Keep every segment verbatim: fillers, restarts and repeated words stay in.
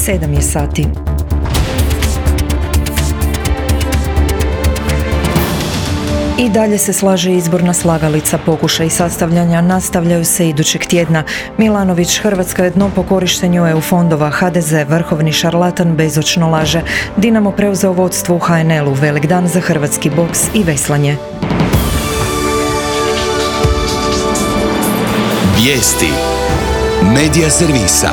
Sedam je sati. I dalje se slaže izborna slagalica. Pokušaj sastavljanja nastavljaju se idućeg tjedna. Milanović, Hrvatska je dno po korištenju E U fondova. H D Z, vrhovni šarlatan, bezočno laže. Dinamo preuzeo vodstvo u H N L-u. Velik dan za hrvatski boks i veslanje. Vijesti Medija servisa.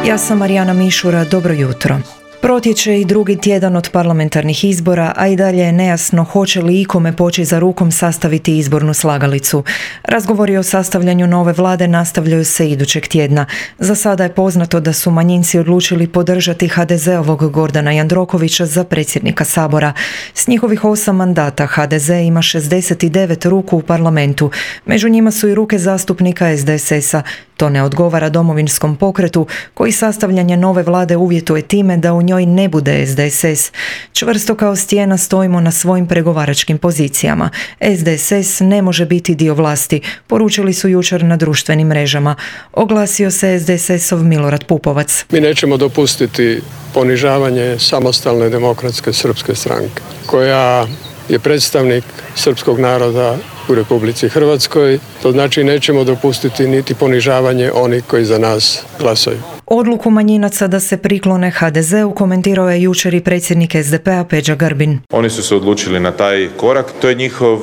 Ja sam Marijana Mišura, dobro jutro. Protječe i drugi tjedan od parlamentarnih izbora, a i dalje je nejasno hoće li ikome poći za rukom sastaviti izbornu slagalicu. Razgovori o sastavljanju nove vlade nastavljaju se idućeg tjedna. Za sada je poznato da su manjinci odlučili podržati H D Z-ovog Gordana Jandrokovića za predsjednika Sabora. S njihovih osam mandata H D Z ima šezdeset devet ruku u parlamentu. Među njima su i ruke zastupnika S D S S-a. To ne odgovara Domovinskom pokretu, koji sastavljanje nove vlade uvjetuje time da u njoj ne bude S D S S. Čvrsto kao stijena stojimo na svojim pregovaračkim pozicijama. S D S S ne može biti dio vlasti, poručili su jučer na društvenim mrežama. Oglasio se S D S S-ov Milorad Pupovac. Mi nećemo dopustiti ponižavanje Samostalne demokratske srpske stranke, koja je predstavnik srpskog naroda u Republici Hrvatskoj. To znači nećemo dopustiti niti ponižavanje onih koji za nas glasaju. Odluku manjinaca da se priklone H D Z-u komentirao je jučer i predsjednik S D P-a Peđa Grbin. Oni su se odlučili na taj korak, to je njihov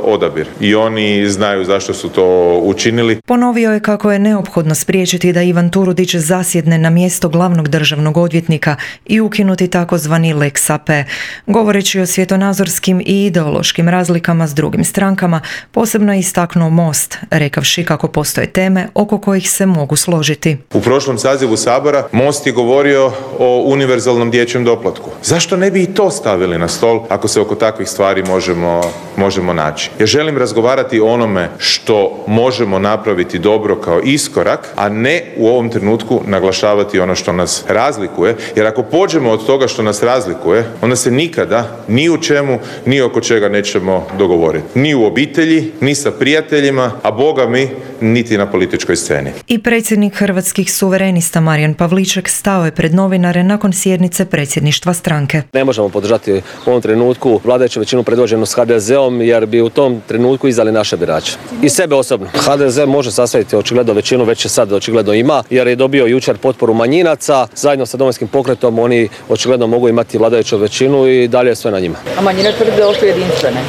odabir i oni znaju zašto su to učinili. Ponovio je kako je neophodno spriječiti da Ivan Turudić zasjedne na mjesto glavnog državnog odvjetnika i ukinuti takozvani Lex A P. Govoreći o svjetonazorskim i ideološkim razlikama s drugim strankama, posebno je istaknuo Most, rekavši kako postoje teme oko kojih se mogu složiti. U prošlom sazivu Sabora Most je govorio o univerzalnom dječjem doplatku. Zašto ne bi i to stavili na stol ako se oko takvih stvari možemo, možemo naći? Ja želim razgovarati o onome što možemo napraviti dobro kao iskorak, a ne u ovom trenutku naglašavati ono što nas razlikuje, jer ako pođemo od toga što nas razlikuje, onda se nikada ni u čemu, ni oko čega nećemo dogovoriti. Ni u obitelji, ni sa prijateljima, a Boga mi, niti na političkoj sceni. I predsjednik Hrvatskih suverenista Marijan Pavliček stao je pred novinare nakon sjednice predsjedništva stranke. Ne možemo podržati u ovom trenutku vladajuću većinu predvođenu s H D Z-om, jer bi u tom trenutku izdali naše birače. I sebe osobno. H D Z može sastaviti očigledno većinu, već je sad očigledno ima, jer je dobio jučer potporu manjinaca. Zajedno sa Domovinskim pokretom oni očigledno mogu imati vladajuću većinu i dalje je sve na njima. A manjine tvrde da su jedinstvene?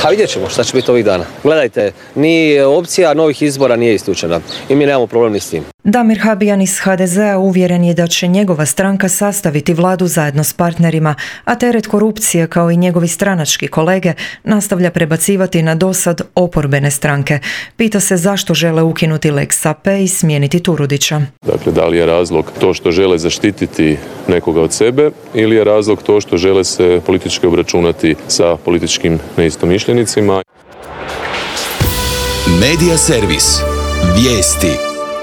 A vidjet ćemo šta će biti ovih dana. Gledajte, ni opcija novih izbora nije isključena i mi nemamo problem ni s tim. Damir Habijan iz H D Z-a uvjeren je da će njegova stranka sastaviti vladu zajedno s partnerima, a teret korupcije kao i njegovi stranački kolege nastavlja prebacivati na dosad oporbene stranke. Pita se zašto žele ukinuti Lex A P i smijeniti Turudića. Dakle, da li je razlog to što žele zaštititi nekoga od sebe ili je razlog to što žele se politički obračunati sa političkim neistomišljenicima? Medija servis. Vijesti.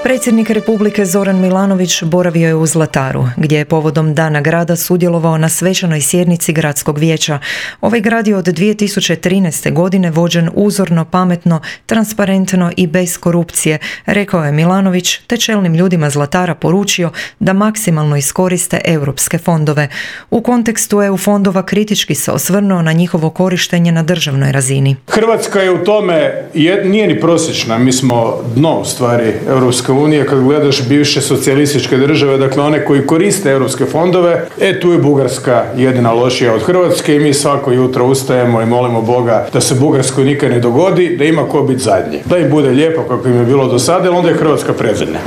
Predsjednik Republike Zoran Milanović boravio je u Zlataru, gdje je povodom Dana grada sudjelovao na svečanoj sjednici gradskog vijeća. Ovaj grad je od dvije tisuće trinaeste. godine vođen uzorno, pametno, transparentno i bez korupcije, rekao je Milanović, te čelnim ljudima Zlatara poručio da maksimalno iskoriste europske fondove. U kontekstu E U fondova kritički se osvrnuo na njihovo korištenje na državnoj razini. Hrvatska je u tome, nije ni prosječna, mi smo dno u stvari Europske unije, kad gledaš bivše socijalističke države, dakle one koji koriste europske fondove, e tu je Bugarska jedina lošija od Hrvatske i mi svako jutro ustajemo i molimo Boga da se Bugarskoj nikad ne dogodi, da ima ko biti zadnji. Da im bude lijepo kako im je bilo do sada, onda je Hrvatska predzadnja.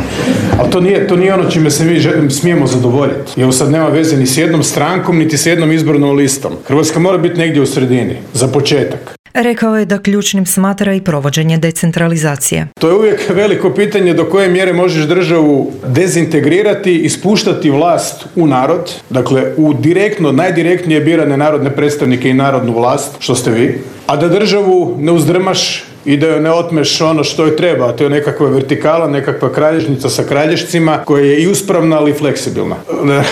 Ali to nije, to nije ono čime se mi smijemo zadovoljiti. Jer sad nema veze ni s jednom strankom, niti s jednom izbornom listom. Hrvatska mora biti negdje u sredini, za početak. Rekao je da ključnim smatra i provođenje decentralizacije. To je uvijek veliko pitanje do koje mjere možeš državu dezintegrirati i spuštati vlast u narod, dakle u direktno, najdirektnije birane narodne predstavnike i narodnu vlast, što ste vi, a da državu ne uzdrmaš i da joj ne otmeš ono što joj treba, a to je nekakva vertikala, nekakva kralježnica sa kralješcima koja je i uspravna, ali i fleksibilna.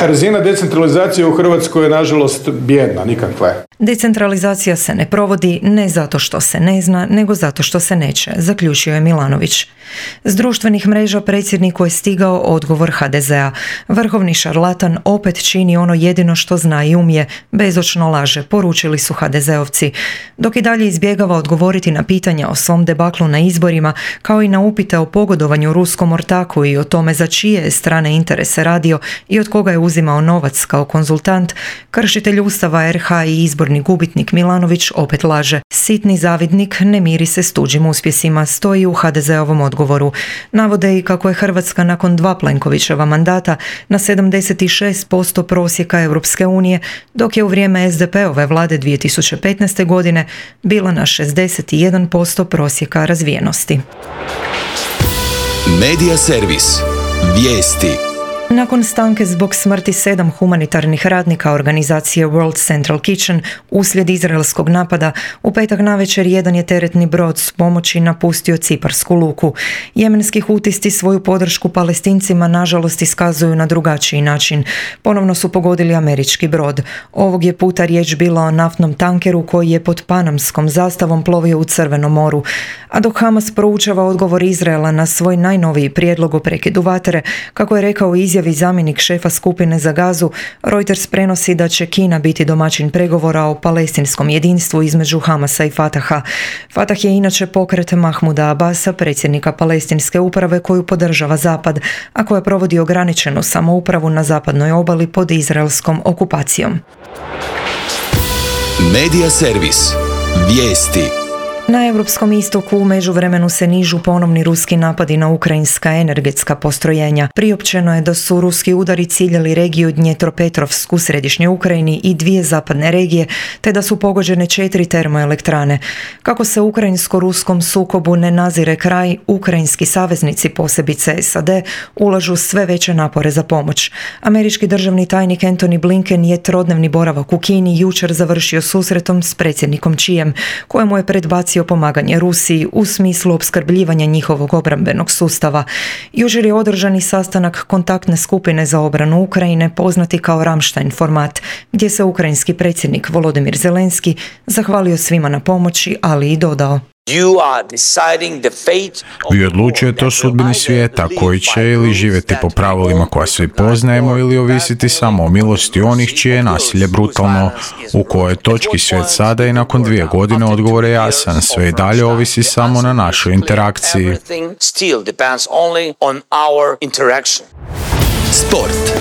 Razina decentralizacije u Hrvatskoj je nažalost bijedna, nikakva je. Decentralizacija se ne provodi ne zato što se ne zna, nego zato što se neće, zaključio je Milanović. S društvenih mreža predsjedniku je stigao odgovor ha de zea. Vrhovni šarlatan opet čini ono jedino što zna i umije, bezočno laže, poručili su ha de zeovci. Dok i dalje izbjegava odgovoriti na pitanja o svom debaklu na izborima, kao i na upite o pogodovanju ruskom ortaku i o tome za čije je strane interese radio i od koga je uzimao novac kao konzultant, kršitelj Ustava er ha i izborni gubitnik Milanović opet laže. Sitni zavidnik ne miri se s tuđim uspjesima, stoji u ha de zeovom odgovoru. Navode i kako je Hrvatska nakon dva Plenkovićeva mandata na sedamdeset šest posto prosjeka Europske unije, dok je u vrijeme es de peove vlade dvije tisuće petnaeste. godine bila na šezdeset jedan posto prosjeka razvijenosti. Medija servis. Vijesti. Nakon stanke zbog smrti sedam humanitarnih radnika organizacije World Central Kitchen uslijed izraelskog napada, u petak navečer jedan je teretni brod s pomoći napustio ciparsku luku. Jemenski hutisti svoju podršku Palestincima nažalost iskazuju na drugačiji način. Ponovno su pogodili američki brod. Ovog je puta riječ bila o naftnom tankeru koji je pod panamskom zastavom plovio u Crvenom moru. A dok Hamas proučava odgovor Izraela na svoj najnoviji prijedlog o prekidu vatre, kako je rekao izjavi zamjenik šefa skupine za Gazu, Reuters prenosi da će Kina biti domaćin pregovora o palestinskom jedinstvu između Hamasa i Fataha. Fatah je inače pokret Mahmuda Abasa, predsjednika palestinske uprave koju podržava Zapad, a koja provodi ograničenu samoupravu na zapadnoj obali pod izraelskom okupacijom. Medija servis. Vijesti. Na Europskom istoku u međuvremenu se nižu ponovni ruski napadi na ukrajinska energetska postrojenja. Priopćeno je da su ruski udari ciljali regiju Dnjepropetrovsk u središnjoj Ukrajini i dvije zapadne regije, te da su pogođene četiri termoelektrane. Kako se ukrajinsko-ruskom sukobu ne nazire kraj, ukrajinski saveznici, posebice es a de, ulažu sve veće napore za pomoć. Američki državni tajnik Antony Blinken je trodnevni boravak u Kini jučer završio susretom s predsjednikom Xijem, kojemu je predbacio pomaganje Rusiji u smislu opskrbljivanja njihovog obrambenog sustava. Jučer je održani sastanak kontaktne skupine za obranu Ukrajine, poznati kao Ramstein format, gdje se ukrajinski predsjednik Volodymyr Zelenski zahvalio svima na pomoći, ali i dodao: Vi odlučujete o sudbini svijeta koji će ili živjeti po pravilima koja svi poznajemo ili ovisiti samo o milosti onih čije je nasilje brutalno. U kojoj točki svijet sada i nakon dvije godine odgovor je jasan, sve i dalje ovisi samo na našoj interakciji. Sport.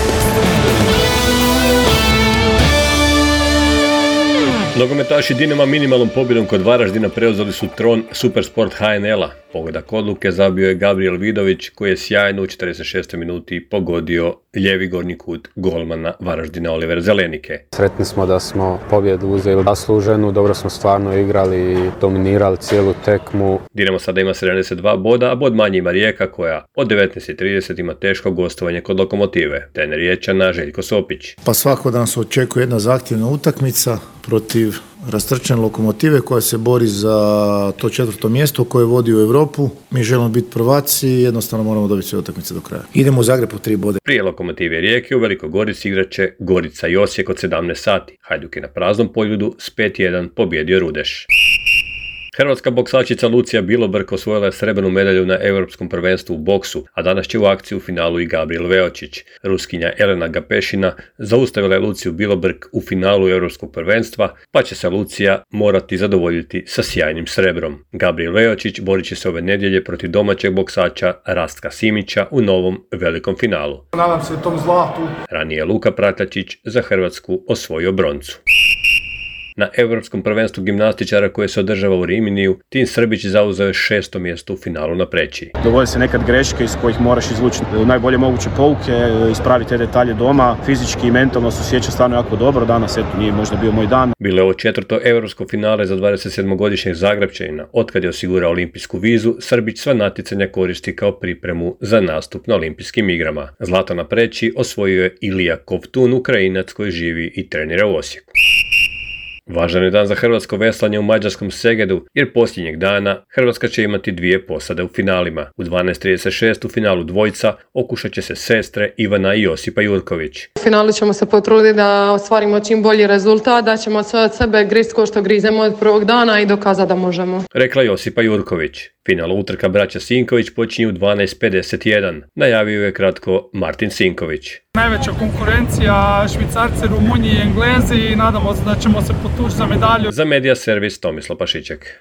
Nogometaši Dinama minimalnom pobjedom kod Varaždina preuzeli su tron Supersport ha en el-a. Pogodak odluke zabio je Gabriel Vidović, koji je sjajno u četrdeset šestoj minuti pogodio lijevi gornji kut golmana Varaždina Oliver Zelenike. Sretni smo da smo pobjedu uzeli zasluženu, dobro smo stvarno igrali i dominirali cijelu tekmu. Dinamo sada ima sedamdeset dva boda, a bod manje ima Rijeka koja od devetnaest i trideset ima teško gostovanje kod Lokomotive. Trener Riječana Željko Sopić. Pa svako da nas očekuje jedna zahtjevna utakmica protiv rastrčane Lokomotive koja se bori za to četvrto mjesto koje vodi u Europu. Mi želimo biti prvaci i jednostavno moramo dobiti sve utakmice do kraja. Idemo u Zagreb po tri bode. Prije Lokomotive Rijeke u Velikoj Gorici igraće Gorica i Osijek od sedamnaest sati. Hajduk je na praznom Poljudu s pet jedan pobjedio Rudeš. Hrvatska boksačica Lucija Bilobrk osvojila je srebrnu medalju na Europskom prvenstvu u boksu, a danas će u akciju u finalu i Gabriel Veočić. Ruskinja Elena Gapešina zaustavila je Luciju Bilobrk u finalu Europskog prvenstva, pa će se Lucija morati zadovoljiti sa sjajnim srebrom. Gabriel Veočić borit će se ove nedjelje protiv domaćeg boksača Rastka Simića u novom velikom finalu. Nadam se tom zlatu. Ranije je Luka Pratačić za Hrvatsku osvojio broncu. Na Europskom prvenstvu gimnastičara koje se održava u Riminiju, Tin Srbić zauzeo je šesto mjesto u finalu na Preći. Dogode se nekad greške iz kojih moraš izvući najbolje moguće pouke, ispraviti te detalje doma, fizički i mentalno se osjeća stvarno jako dobro. Danas eto nije možda bio moj dan. Bilo je ovo četvrto europsko finale za dvadesetsedmogodišnjeg Zagrepčanina. Otkad je osigurao olimpijsku vizu, Srbić sva natjecanja koristi kao pripremu za nastup na olimpijskim igrama. Zlato na Preći osvojio je Ilija Kovtun, Ukrajinac koji živi i trenira u Osijeku. Važan je dan za hrvatsko veslanje u mađarskom Segedu, jer posljednjeg dana Hrvatska će imati dvije posade u finalima. U dvanaest trideset šest u finalu dvojca okušat će se sestre Ivana i Josipa Jurković. U finalu ćemo se potruditi da ostvarimo čim bolji rezultat, da ćemo sve od sebe grist ko što grizemo od prvog dana i dokazati da možemo. Rekla Josipa Jurković. Final utrka braća Sinković počinje u dvanaest pedeset jedan. Najavio je kratko Martin Sinković. Najveća konkurencija, Švicarci, Rumunji i Englezi i nadamo se da ćemo se potući za medalju. Za Media Servis Tomislav Pašiček.